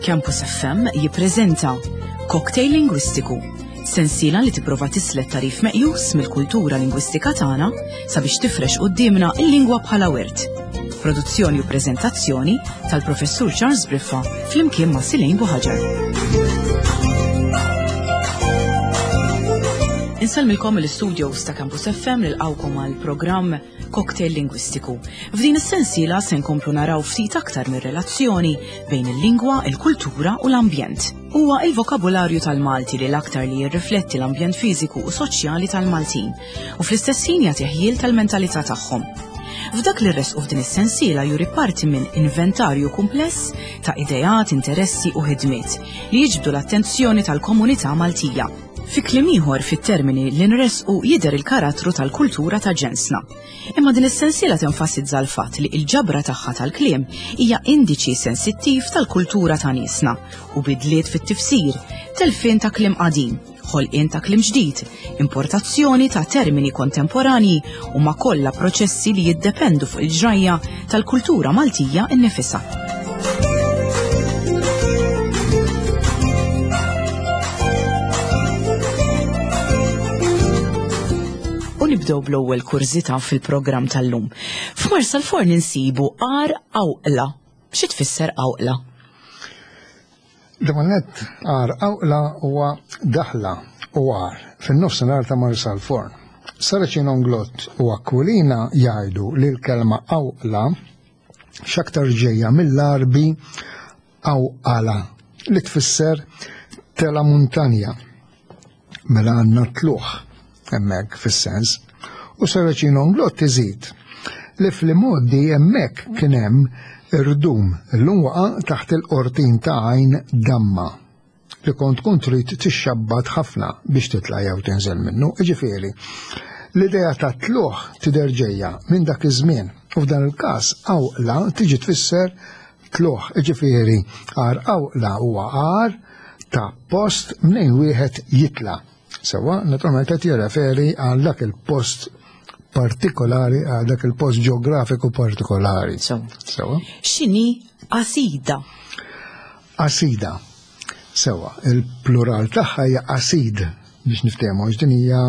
Campus FM jippreżenta Cocktail Lingwistiku, sensiela li tipprova tislet tarif meqjus mill-kultura lingwistika tagħna sabiex tifrex quddiemna l-lingwa bħala wirt. Produzzjoni u preżentazzjoni tal-Professur Charles Briffa flimkien ma' Silejn Buħaġar. Insellmilkom mill-istudios ta' Campus FM nilqgħukom għal programm Cocktail Lingwistiku. F'din is-sensiela se nkomplu naraw ftit aktar mir-relazzjoni bejn il-lingwa, il-kultura u l-ambjent. Huwa il-vokabularju tal-Malti li l-aktar li jirrifletti l-ambjent fiżiku u soċjali tal-Maltin u fl-istess ħin jagħti ħjiel tal-mentalità tagħhom. F'dak li rresqu f'din is-sensiela juri parti minn inventarju kumpless ta' ideat, interessi u ħidmiet li jiġbdu l-attenzjoni tal-komunità Maltija. Fi kliem ieħor fit-termini li nressqu jidher il-karattru tal-kultura ta' ġensna. Imma din is-sensiela tenfasizza l-fatt li l-ġabra tagħha tal-kliem hija indiċi sensittiv tal-kultura ta' niesna u bidliet fit-tifsir, telfien ta' kliem qadim, ħolqien ta' kliem ġdid, importazzjoni ta' termini kontemporanji huma kollha proċessi li jiddependu fuq il-ġrajja tal-kultura Maltija nnifisha. U nibdew bl-ewwel kurżità fil-programm tal-lum. F'Marsalforn insibu għar awqla. Xi tfisser awqla? L-ewwel nett għar Awqla huwa daħla u għar fin-nofsinhar ta' Marsalforn. Saracen Onglott u Aquilina jgħidu li l-kelma Awqla x'aktar ġejja mill-Għarbi Awqala li tfisser tela muntanja. Mela għandna tlugħ hemmhekk fis-sens. U Saracino Nglott iżid li fl-imgħoddi hemmhekk kien hemm irdum illum waqa' taħt il-qortin ta' għajn damma li kont tkun trid tixxabbat ħafna biex titla' jew tinżel minnu. Jiġifieri, l-idea ta' tlugħ tidher ġejja minn dak iż-żmien u f'dan il-każ awqla tiġi tfisser tlugħ, jiġifieri għar awqla huwa għar ta' post mnejn wieħed jitla'. Sewwa, naturalment qed jirreferi għal dak il-post partikolari, għal dak il-post ġeografiku partikolari. Sewwa. X'inhi qasida? Qasida. Sewwa, il-plural tagħha hija qasid biex niftehmu għax din hija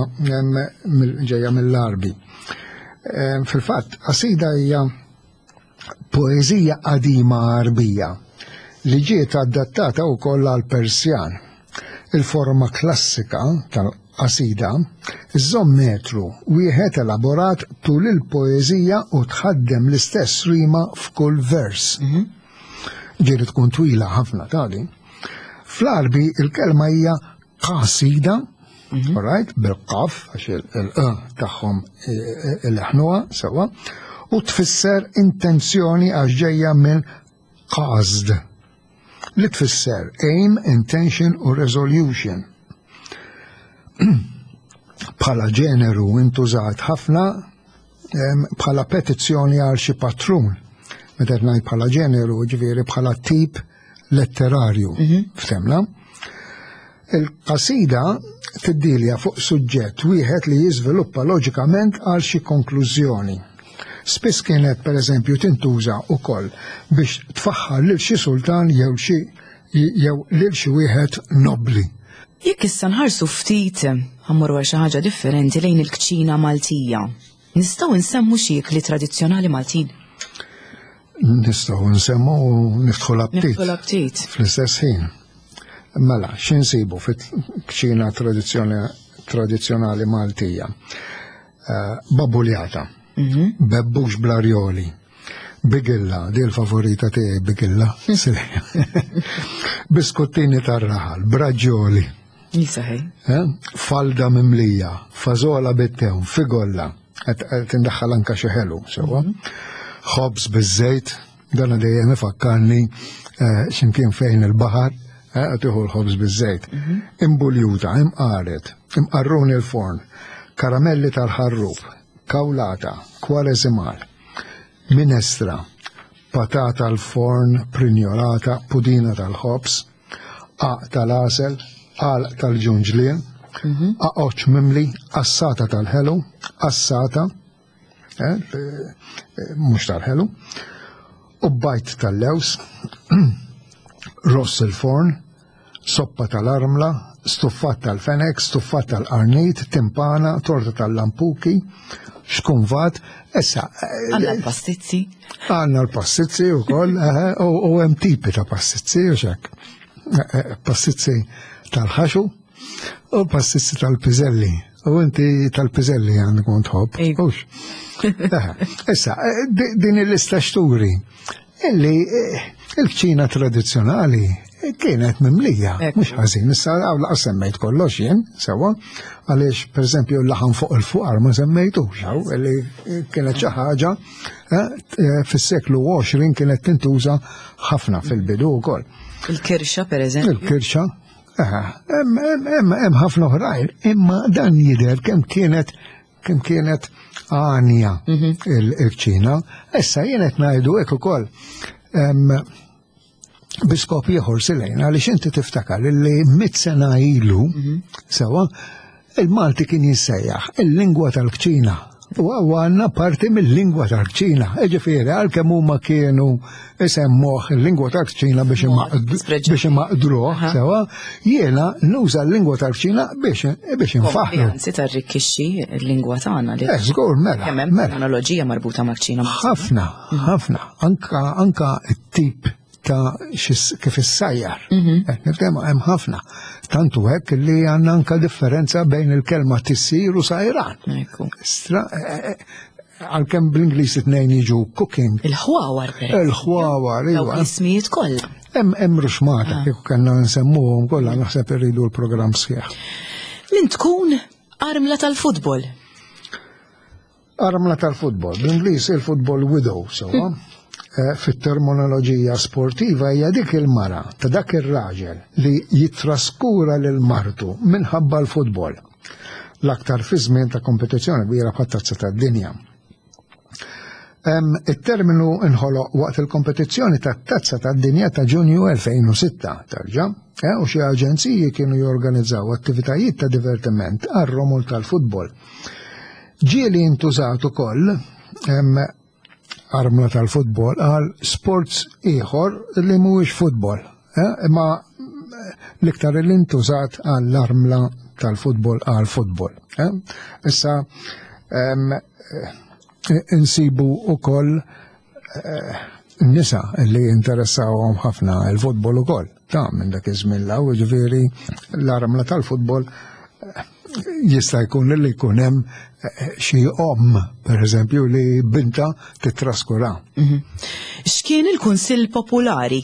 ġejja mill-Għarbi. Fil-fatt, qasida hija poeżija qadima Għarbija li ġiet adattata wkoll għall-Persjan. Il-forma klassika tal-qasida żżomm metru wieħed elaborat tul il-poeżija u tħaddem l-istess rima f'kull vers. Mhm. Ġieli tkun twila ħafna tali. Fl-Għarbi il-kelma hija qasida, mhm. alright, bil-qaf, għax il-q tagħhom il-ħnuha sewwa, u tfisser intenzjoni għax ġejja minn qasd li tfisser aim, intention u resolution. Bħala ġeneru intużat ħafna bħala petizzjoni għal xi patrun. Meta ngħid bħala ġeneru, ġifieri bħala tip letterarju, mhm. ftemna. Il-qasida tiddilja fuq suġġett wieħed li jiżviluppa loġikament għal xi konklużjoni. Spiss kienet pereżempju tintuża wkoll biex tfaħħar lil xi sultan jew xi jew lil xi wieħed nobbli. Jekk issa nħarsu ftit ħammorru għal xi ħaġa differenti lejn il-kċina Maltija. Nistgħu nsemmu xi ikli tradizzjonali Maltin? Nistgħu nsemmu u niftħu l-aptit. Niftħu l-aptit. Fl-istess ħin. Mela, x'insibu fit-kċina tradizzjonali Maltija? Eh, babuljata, mhm. bebbux bl-arjoli, bigilla, di l-favorita tiegħi bigilla, biskottini tar-raħal, braġġoli. Jisaħi. Eh? Falda mimlija, fażola bit-tew, figolla, qed indaħħal anka xi ħelu, sewwa. Mhm. Ħobż biż-żejt, dan dejjem ifakkarni eh, x'imkien fejn il-baħar, eh, qed tieħu l-ħobż biż-żejt. Mhm. Imbuljuta, imqaret, imqarruni l-forn, karamelli tal-ħarrub, kawlata, kwareżimal, minestra, patata l-forn, prinjolata, pudina tal-ħobż, qagħaq tal-għasel, għalq tal-ġunġlien, mhm. aqoċ mimli, qassata tal-ħelu, qassata, eh, eh, mhux tal-ħelu, u bajt tal-lews. Ross il-forn, soppa tal-armla, stuffat tal-fenek, stuffat tal-qarnit, timpana, torta tal-lampuki, xkunvat, issa. Eh, għanna l-pastizzi. Għanna l-pastizzi u koll, eh, u hemm tipi ta' pastizzi u xek. Eh, pastizzi tal-ħaxu u pastizzi tal-piżelli. U inti tal-piżelli għandek kont tħobb. Issa, din il-lista xturi Illi eh, il-kċina tradizzjonali kienet mimlija, mhux ħażin, issa għaw laqas semmejt kollox jien, sewa, għaliex pereżempju l-laħam fuq il-fuqar ma semmejtux, hawn, illi kienet xi ħaġa eh, eh, fis-seklu 20 kienet tintuża ħafna fil-bidu wkoll. Il-kirxa pereżempju. Il-kirxa, hemm ħafna oħrajn, imma dan jidher kemm kienet kemm kienet għanja mhm. il-kċina. Issa jien qed ngħidu hekk ukoll biskop ieħor silejn għaliex inti tiftakar li mit sena ilu mhm. sewa il-Malti kien jissejjaħ il-lingwa tal-kċina. U għanna parti mill-lingwa tal-kċina. Ġifieri, għalkemm huma kienu isemmuh il-lingwa tal-kċina biex imaqdruh, sewa, jiena nuża l-lingwa tal-kċina biex biex infaħħru. Anzi tarrikkixxi l-lingwa tagħna li. Eh, żgur, mela. Kemm hemm mela. terminoloġija marbuta mal-kċina. Ħafna, mhm. ħafna. Anka anka t-tip ta' kif issajjar. Mhm. Eh, nitkellmu hemm ħafna. Tantu hekk li għandna anka differenza bejn il-kelma tissir u sajran. Stra, eh, għalkemm bl-Ingliż it-tnejn jiġu cooking. Il-ħwawar per Il-ħwawar, iva. L-ismijiet kollha. Hemm hemm ruxmata ah. kieku kellna nsemmuhom kollha naħseb irridu l-programm sħiħ. Min tkun armla tal-futbol? Armla tal-futbol, bl-Ingliż il-football widow, sewa. Eh, fit-terminoloġija sportiva hija dik il-mara ta' dak ir-raġel li jitraskura lil martu minħabba l-futbol. L-aktar fi żmien ta' kompetizzjoni kbira bħat-tazza tad-dinja. It-terminu inħoloq waqt il-kompetizzjoni tat-Tazza tad-Dinja ta' Ġunju 2006, tarġa', eh, u xi aġenziji kienu jorganizzaw attivitajiet ta' divertiment għar-romol tal-futbol. Ġieli intużat ukoll armla tal-futbol għal sports ieħor li mhuwiex futbol, eh, imma l-iktar li ntużat għall-armla tal-futbol għal futbol. Eh. Issa eh, insibu ukoll nisa li interessawhom ħafna il-futbol ukoll. Ta' minn dak iż-żmien law, ġifieri l-armla tal-futbol jista' jkun li jkun hemm eh, xi omm, pereżempju, li binta titraskura. Mhm. X'kien il-Kunsill Popolari?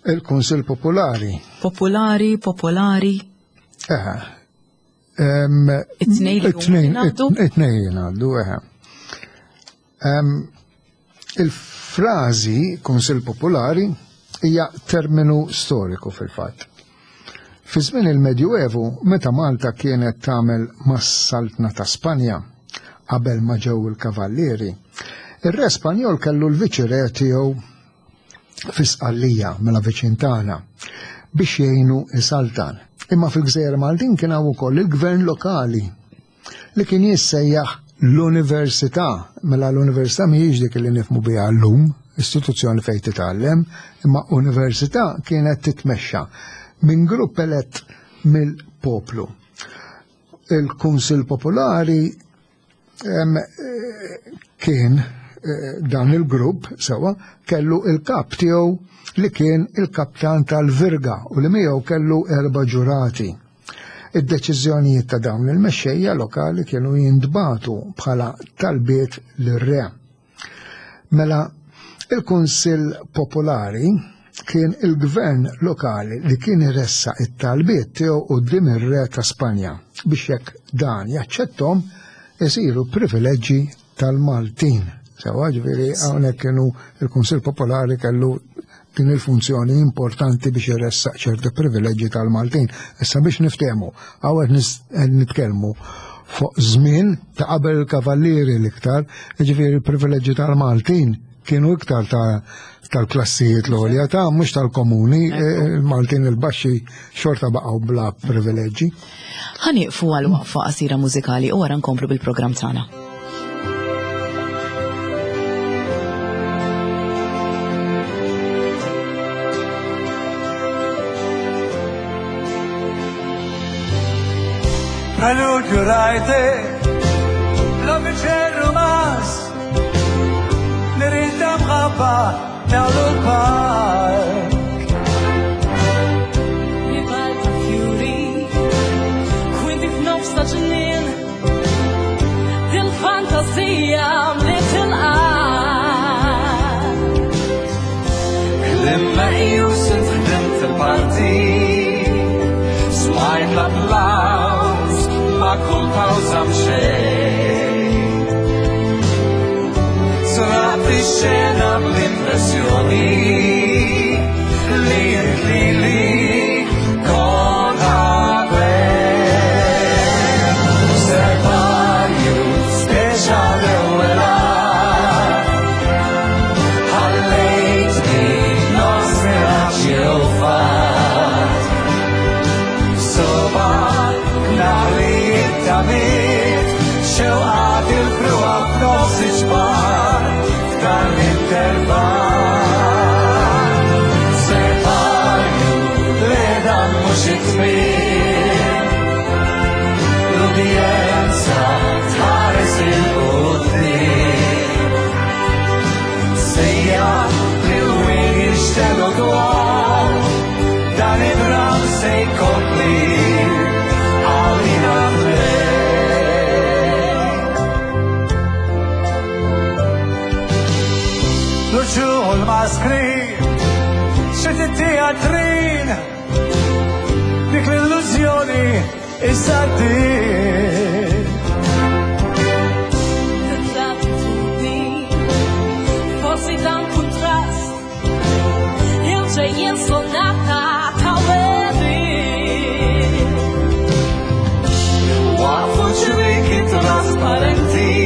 Il-Kunsill Popolari. Popolari, popolari. Eh. It-tnejn it-tnejn jingħaddu, eh. Il-frażi Kunsill Popolari hija terminu storiku fil-fatt. Fi żmien il-Medjuevu, meta Malta kienet tagħmel mas-Saltna ta' Spanja, qabel ma ġew il-Kavallieri, ir-Re Spanjol kellu l-Viċi-Re tiegħu fi Sqallija, mela viċin tagħna, biex jgħinu isaltan. Imma fil-Gżejjer Maltin kien hawn ukoll il-gvern lokali li kien jissejjaħ l-università. Mela l-università mhijiex dik li nifmu biha llum, istituzzjoni fejn titgħallem, imma università kienet titmexxa minn grupp elett mill-poplu. Il-Kunsill Popolari kien eh, dan il-grupp sewa kellu il-kap tiegħu li kien il-kaptan tal-Virga u li miegħu kellu erba' ġurati. Id-deċiżjonijiet ta' dawn il-mexxejja lokali kienu jintbagħtu bħala talbiet lir-re. Mela, il-Kunsill Popolari kien il-gvern lokali li kien iressaq it-talbiet tiegħu quddiem ir-re ta' Spanja biex jekk dan jaċċetthom isiru privileġġi tal-Maltin. Sewa ġifieri hawnhekk kienu il-Kunsill Popolari kellu din il-funzjoni importanti biex iressaq ċerti privileġġi tal-Maltin. Issa biex niftehmu, hawn qed nitkellmu fuq żmien ta' qabel il-kavallieri l-iktar, ġifieri il-privileġġi tal-Maltin kienu iktar ta' tal-klassijiet l-għolja ta' mhux tal-komuni, il-Maltin il-baxxi xorta baqgħu bla privileġġi. Ħanieqfu għal waqfa qasira mużikali u wara nkomplu bil-programm tagħna. Preludio rajte, la biċerru mas, Nirida mħabba nagħmlu l-park. Ribalta fjuri, kwinti f'nofs ta' ġnien, dil-fantasija mliet il-qalb. Klim meqjus int ħdimt il-parti, smajt l-applaws ma' kull pawża mxejt. Sraqt ix-xena bl-impressjoni li int lili kont ħabbejt. Serparju speċa l-ewwel att, ħallejtni nofs miraġġ jew fatt. Soba naħli it-tamiet, xewqat il-frugħa f'nofs iġbar, f'dan l-intervall. Serparju li dan mhux it-tmiem, l-udjenza tħares il-quddiem. Sejja li l-wien jinxtelu dwar, dan id-dram se jkompli għalina tnejn. L-uċuħ u l-maskri, xi teatrin, dik l-illużjoni issa għaddiet. L-attitudni, forsi dan kuntrast, il-ġejjin sonata ta' wedin. Waqfu ċriki trasparenti,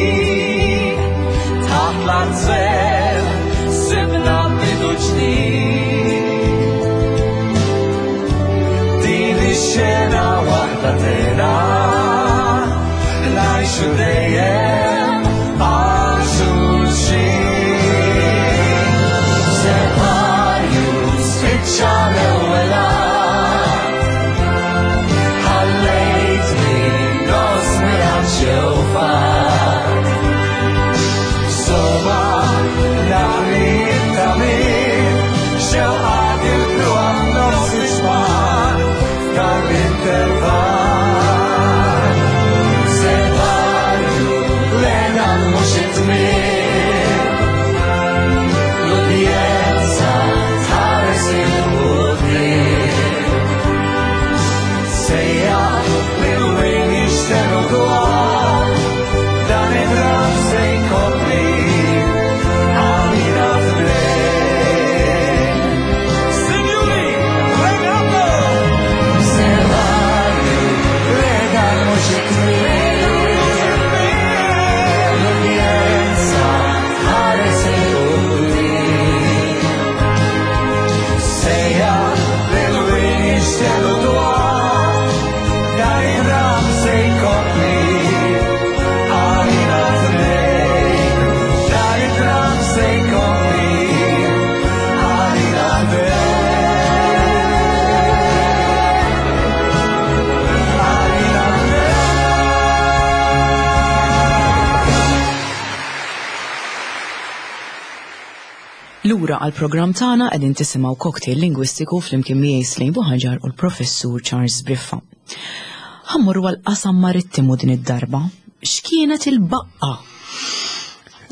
taħt l-azzell, sibna bidu ġdid. Din ix-xena waħda tena, ngħixu dejjem għal xulxin. Separju spiċċa l-ewwel att, ħallejtni nofs miraġġ jew fatt. Soba naħli it-tagħmir, xewqat il-frugħa f'nofs iġmar, f'dan l-intervall. Separju lena mhux it-tmiem, l-udjenza tħares il-quddiem. Sejja li l-wien jinxtelu dwar, dan id-dram se jkompli għalina tnejn. Sinjuri, Renato! Separju li dan mhux it-tmiem, l-udjenza tħares il-quddiem. Sejja li l-wien jinxtelu dwar, dan id-dram se jkompli għalina tnejn. Dan id-dram se jkompli għalina tnejn. Għalina tnejn. Lura għal programm tagħna qegħdin tisimgħu cocktail lingwistiku flimkien miegħi Slejn Buħaġar u l-Professur Charles Briffa. Ħa mmorru għal qasam marittimu din id-darba. X'kienet il-baqqa?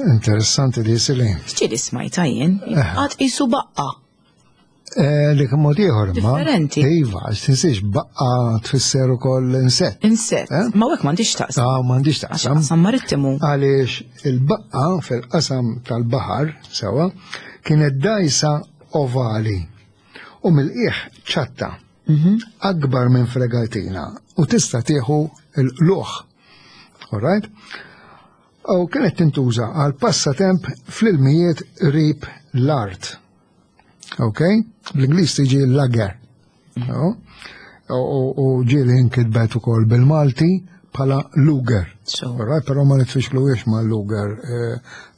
Interessanti di Slejn. X'ġieli smajta jien? Qatt qisu baqqa. Li kien mod ieħor imma. Differenti. Iva, għax tinsiex baqqa tfisser ukoll insett. Insett. Eh? Ma hekk m'għandix taqsam. Ah, m'għandix Għax taqsam. qasam marittimu. Għaliex il-baqqa fil-qasam tal-baħar, sewa, kienet dajsa ovali u mill-qiegħ ċatta. Akbar minn fregatina u tista' tieħu l-luħ. All right? U kienet tintuża għal passatemp fl-ilmijiet rib l-art. Ok? Bl-Ingliż tiġi lugger. No? U ġieli inkitbet ukoll bil-Malti bħala luger. All right? Però ma nitfixkluhiex ma' luger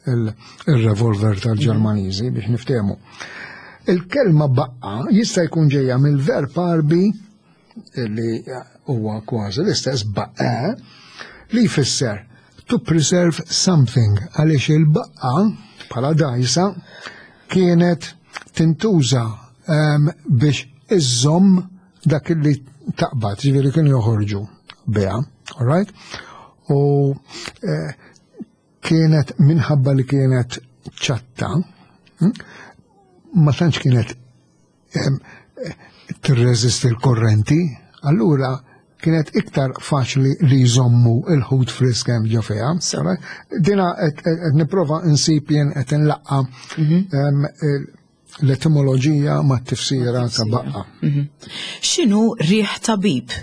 il-revolver tal-Ġermaniżi biex niftehmu. Il-kelma baqqa jista' jkun ġejja mill-verb Għarbi li huwa kważi l-istess baqqa li jfisser to preserve something għaliex il-baqqa bħala dajsa kienet tintuża ehm, biex iżżomm dak li taqbad, ġifieri kienu joħorġu biha, all right? U eh, kienet minħabba li kienet ċatta, hm, ma tantx kienet ehm, tirreżisti l-korrenti, allura kienet iktar faċli li jżommu il-ħut frisk hemm ġo fiha. Dina qed nipprova nsib jien qed inlaqqa mhm. ehm, l-etimoloġija ma' tifsira ta' baqqa. Mhm. X'inhu riħ tabib?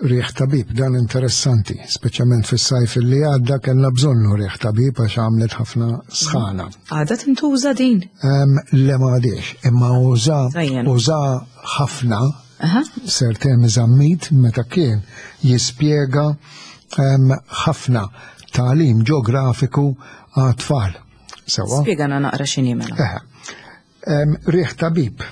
Riħ tabib, dan interessanti, speċjalment fis-sajf li għadda kellna bżonnu riħ tabib għax għamlet ħafna sħana. Għadha tintuża din? Le ma għadiex, imma uża uża ħafna Sir Temi Zammit meta kien jispjega ħafna tagħlim ġeografiku għat-tfal. Sewa. Spjegana naqra x'inhi mela. Riħ tabib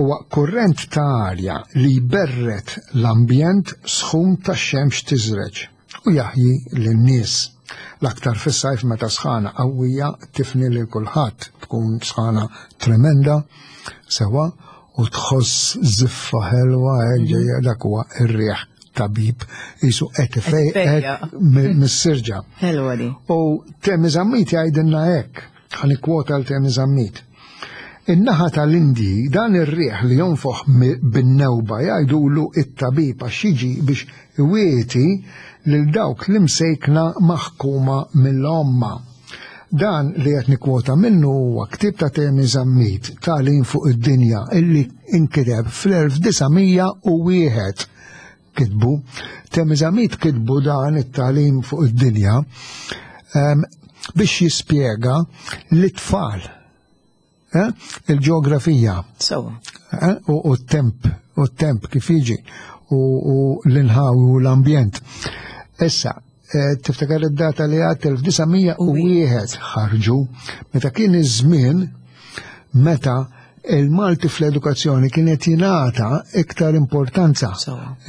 huwa kurrent ta' arja li jberred l-ambjent sħun tax-xemx tiżreġ u jaħji lin-nies. L-aktar fis-sajf meta sħana qawwija tifni lil kulħadd, tkun sħana tremenda, sewa, u tħoss żiffa ħelwa hekk ġejja dak huwa r-riħ tabib jisu qed ifejqek mis-sirġa. Ħelwa di. U Temi Zammit jgħidilna hekk, ħa nikkwota l Temi Zammit. In-naħa tal-Indji dan ir-riħ li jonfoħ bin-newba jgħidulu it-tabib għax jiġi biex iwieti lil dawk l-imsejkna maħkuma mill-għomma. Dan li qed nikkwota minnu huwa ktieb ta' Temi Zammit, Tagħlim fuq id-Dinja, illi inkiteb fl-1901 kitbu. Temi Zammit kitbu dan it-tagħlim fuq id-dinja ehm, biex jispjega lit-tfal eh, il-ġeografija. Eh, u t-temp, u t-temp kif jiġi, u l-inħawi u l-ambjent. Issa, eh, tiftakar id-data li għad 1901 ħarġu, meta kien iż-żmien meta il-Malti fl-edukazzjoni kienet jingħata iktar importanza.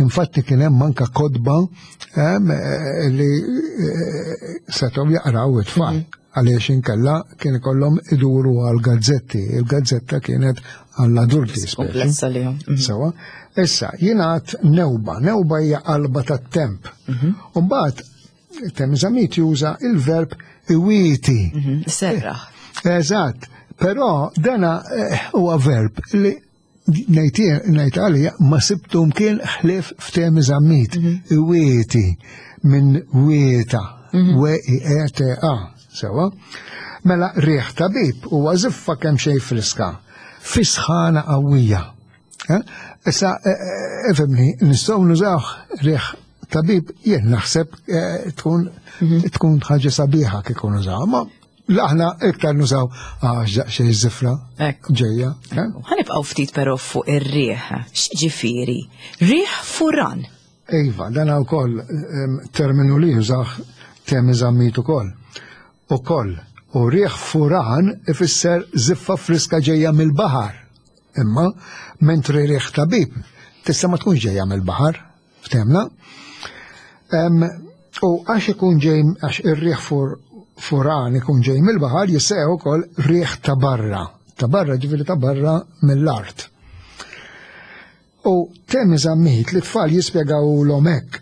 Infatti kien hemm anka kotba eh, li eh, setgħu jaqraw it-tfal. Mhm. Għaliex inkella kien ikollhom iduru għal gazzetti. Il-gazzetta kienet għall-adulti. Komplessa li mhm. Sewa. Issa, jingħad newba. Newba hija qalba tat-temp. Mhm. Umbagħad Temżamit juża il-verb iwieti. Mhm, serraħ. Eżatt, però dana eh, huwa verb li ngħid għalija ma sibtu mkien ħlief f'temi zammit. Mhm. Iwieti minn wieta, mhm. w i e t a, sewa. Mela riħ tabib huwa żiffa kemm xejn friska, fi sħana qawwija. Eh? Issa, eh, eh, ifhimni, nistgħu nużaw riħ tabib, jien naħseb tkun mhm. tkun ħaġa sabiħa kieku nużaw, ma aħna iktar nużaw għax daqsxejn żifra ġejja. Ħanibqgħu ftit però fuq ir-riħ. X'ġifieri? Riħ furan. Iva, dan wkoll terminu li jużaw temi żammit ukoll. Ukoll, u riħ furan ifisser żiffa friska ġejja mill-baħar. Imma, mentri riħ tabib, tista' ma tkunx ġejja mill-baħar, ftemna. U għax ikun ġej, għax ir-riħ furan ikun ġej mill-baħar, jissejjaħ ukoll riħ ta' barra. Ta' barra ġifieri ta' barra mill-art. U Temi Zammit li tfal jispjegawlhom hekk.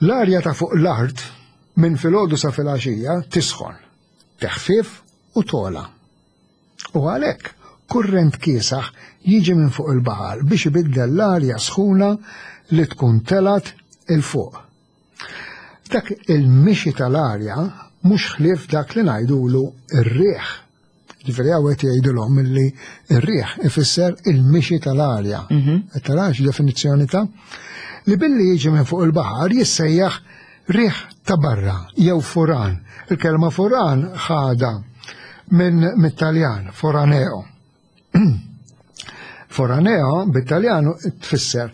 L-arja ta' fuq l-art minn filgħodu sa filgħaxija tisħon, teħfief u togħla. U għalhekk kurrent kiesaħ jiġi minn fuq il-baħar biex ibiddel l-arja sħuna li tkun telgħet 'il fuq. Dak il-mixi tal-arja mhux ħlief dak li ngħidulu r-riħ. Ġifieri hawn qed jgħidilhom illi r-riħ ifisser il-mixi tal-arja. Mhm. Qed tarax definizzjoni ta' li billi jiġi minn fuq il-baħar jissejjaħ riħ ta' barra jew furan. Il-kelma furan ħada minn mit-Taljan, foraneo. Foraneo bit-Taljan tfisser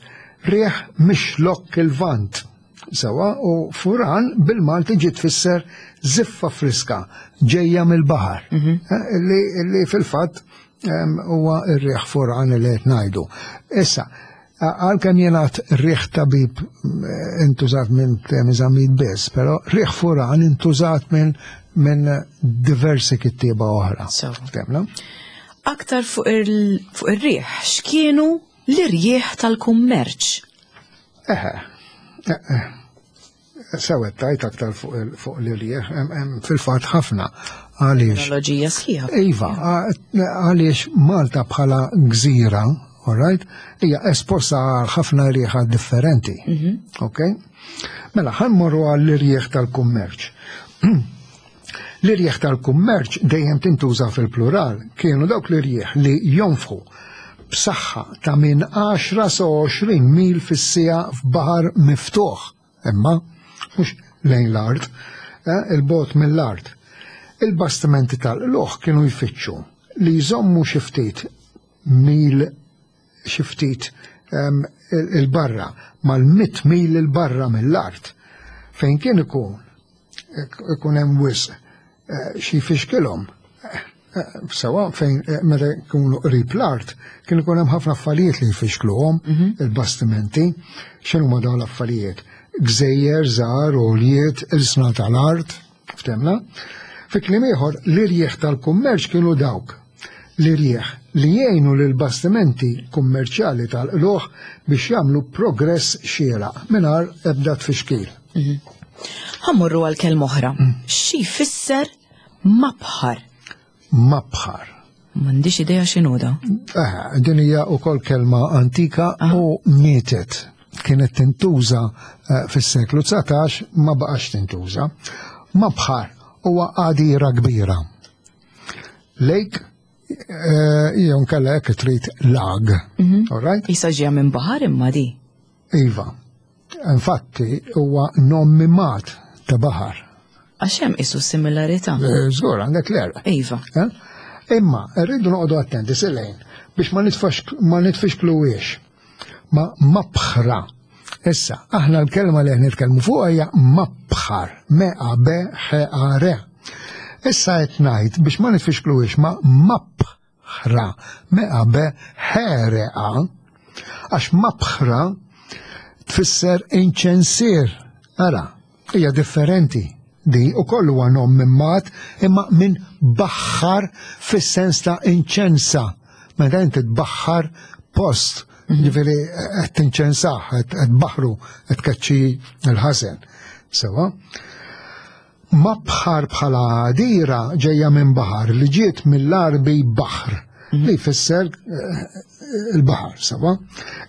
riħ mix-xlokk il-vant. Sewa u furan bil-Malti ġiet tfisser ziffa friska ġejja mill-baħar. Mhm. Eh, li fil-fatt huwa r-riħ furan li qed ngħidu. Issa, Għalkemm jingħad riħ tabib eh, intużat minn Temi Zammit biss, però riħ furan intużat minn minn diversi kittieba oħra. Temna? Aktar fuq ir-riħ, x'kienu l-irjieħ tal-kummerċ? Eħe, eh, Sewet tajt aktar fuq l-irjieħ, fil-fatt ħafna. Għaliex. Teknoloġija sħiħa. Iva, għaliex Malta bħala gżira, all right, hija esposta għal ħafna rieħa differenti. Mhm. Ok? Mela, ħammorru għall-irjieħ tal-kummerċ. L-irjieħ tal-kummerċ dejjem tintuża fil-plural, kienu dawk l-irjieħ li jonfħu b'saħħa ta' minn 10 sa 20 mil fis-siegħa f'baħar miftuħ, imma mhux lejn l-art, eh, il-bogħod mill-art. Il-bastimenti tal-qlugħ kienu jfittxu li jżommu xi ftit mil xi ftit il-barra, mal-100 mil il-barra mill-art, fejn kien ikun ikun hemm wisq eh, xi jfixkilhom. Eh, eh, sewa fejn meta jkunu qrib l-art, kien ikun hemm ħafna affarijiet li jfixkluhom mhm. il-bastimenti. X'inhu ma dawn l-affarijiet? Gżejjer, żgħar, għoljiet, ilsna tal-art, Ftemna? Fi kliem ieħor, l-irjieħ tal-kummerċ kienu dawk l-irjieħ li jgħinu lil bastimenti kummerċjali tal-qluħ biex jagħmlu progress xieraq mingħajr ebda tfixkil. Mhm. Ħammorru għal kelma oħra. Mm. Xi jfisser mabħar? Mabħar. M'għandix idea x'inhu da. Eh, din hija wkoll kelma antika u mietet. Kienet tintuża eh, fis-seklu 19 ma baqax tintuża. Mabħar huwa għadira kbira. Lake eh, jew nkella hekk trid lag. Mhm. All right? Isa ġejja minn baħar imma di. Iva. Infatti huwa nommimat ta' baħar. Għax hemm isu similarità. Eh, żgur għandek l-erq. Iva. Eh? Imma rridu noqogħdu attenti silejn biex ma nitfax ma nitfixkluwiex ma mabħra. Issa, aħna l-kelma li qed nitkellmu fuqha hija mabħar, me a b ħ a r. Issa qed ngħid biex ma nitfixkluwiex ma mabħ ħra, meqa be ħereqa, għax mabħra tfisser inċensier. Ara, hija differenti di u kollu huwa nom minn mat imma minn baħħar fis-sens ta' inċensa. Meta inti tbaħħar post, mhm. ġifieri qed tinċensah, qed baħru, qed tkeċċi l-ħażen. Sewa. Mabħar bħala għadira ġejja minn baħar li ġiet mill-Għarbi baħr mhm. li jfisser eh, il-baħar, sawa?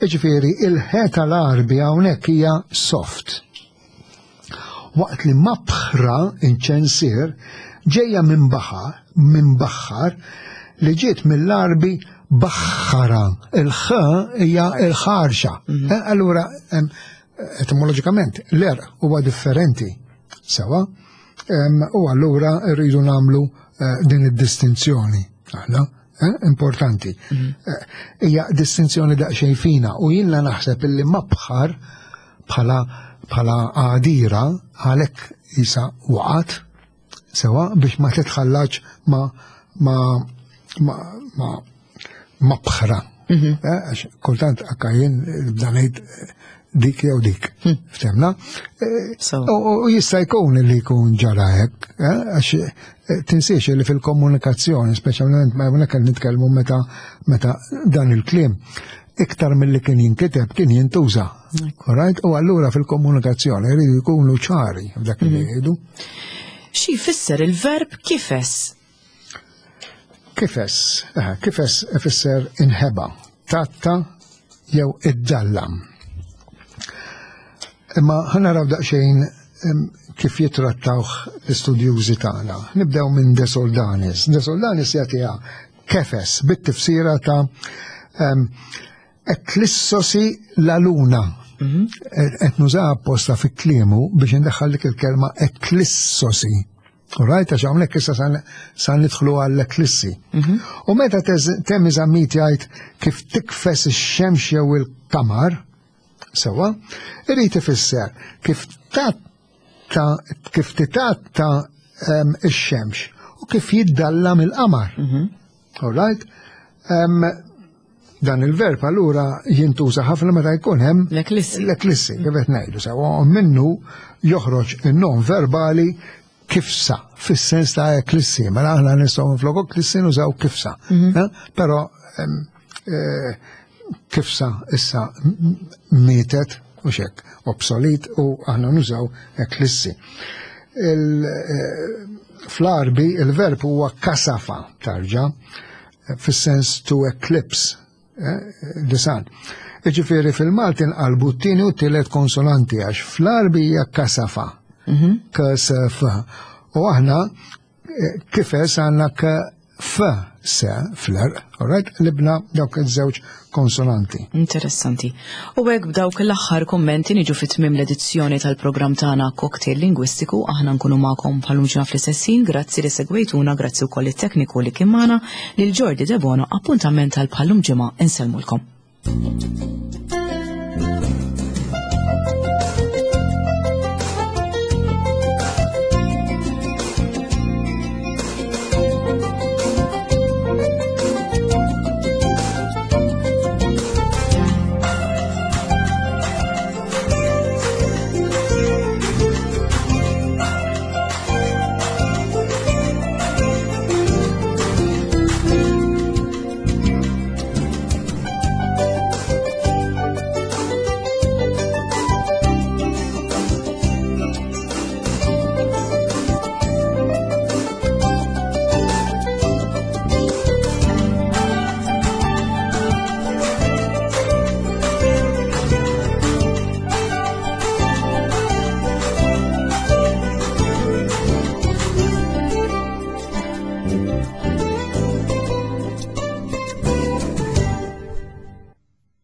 Iġifieri il-ħe tal-Għarbi hawnhekk hija soft. Waqt li mabħra inċensier ġejja minn baħar, minn baħar li ġiet mill-Għarbi baħħara. Il-ħ hija il-ħarxa. Mhm. Eh, allura etimoloġikament l-er huwa differenti sewa u allura rridu nagħmlu eh, din id-distinzjoni aħna eh, importanti. Mhm. Eh, hija distinzjoni daqsxejn fina u jiena naħseb illi mabħar bħala bħala għadira għalhekk isa waqat Sewa biex ma titħallax ma ma ma ma ma bħra. Mhm. Eh, għax kultant akka jien nibda ngħid eh, dik jew dik. Hmm. Ftemna? Eh, u jista' jkun li jkun ġara hekk, għax tinsiex li fil-komunikazzjoni, speċjalment ma hawnhekk qed nitkellmu meta meta dan il-kliem iktar mill-li kien jinkiteb kien jintuża. Right? U allura fil-komunikazzjoni jridu jkunu ċari f'dak li mhm. jgħidu. Xi jfisser il-verb kifes? Kifes, eh, kifes ifisser inħeba, tatta jew iddallam. Imma ħanaraw daqsxejn kif jitrattawh l-istudjużi tagħna. Nibdew minn De Soldanis. De Soldanis jagħtiha kefes bit-tifsira ta' eklissosi la luna. Mhm. Qed nuża apposta fi kliemu biex indaħħal dik il-kelma eklissosi. Right, għax hawnhekk issa sa nidħlu għall-eklissi. Mhm. U meta Temi Zammit jgħid kif tikfes ix-xemx jew il-qamar, sewa, irid ifisser kif ta' kif titatta ehm, ix-xemx u kif jiddallam il-qamar. Mhm. All right? Ehm, Dan il-verb allura jintuża ħafna meta jkun hemm L-eklissi. L-eklissi, kif qed ngħidu sewwa, u minnu joħroġ in-nom verbali kifsa, fis-sens ta' eklissi, mela aħna nistgħu minflok eklissi nużaw kifsa. Però kifsa issa mietet u xek, obsolit u aħna nużaw eklissi. Fl-Arbi il-verb huwa kasafa tarġa, fis-sens to eclipse the sun. Iġifieri fil-Malti nqalbu t-tieni u t-tielet konsonanti għax fl-Arbi hija kasafa. K-s-f. U aħna kifes għandna k f se fl-erq, all right? Libna dawk iż-żewġ konsonanti. Interessanti. U hekk b'dawk l-aħħar kommenti niġu fi tmiem l-edizzjoni tal-programm tagħna Cocktail Lingwistiku, aħna nkunu magħkom bħalum ġimgħa fl-istess ħin, grazzi li segwejtuna, grazzi wkoll it-tekniku li kien magħna, lil Jordi Debono, appuntament tal bħalum ġimgħa insellmulkom.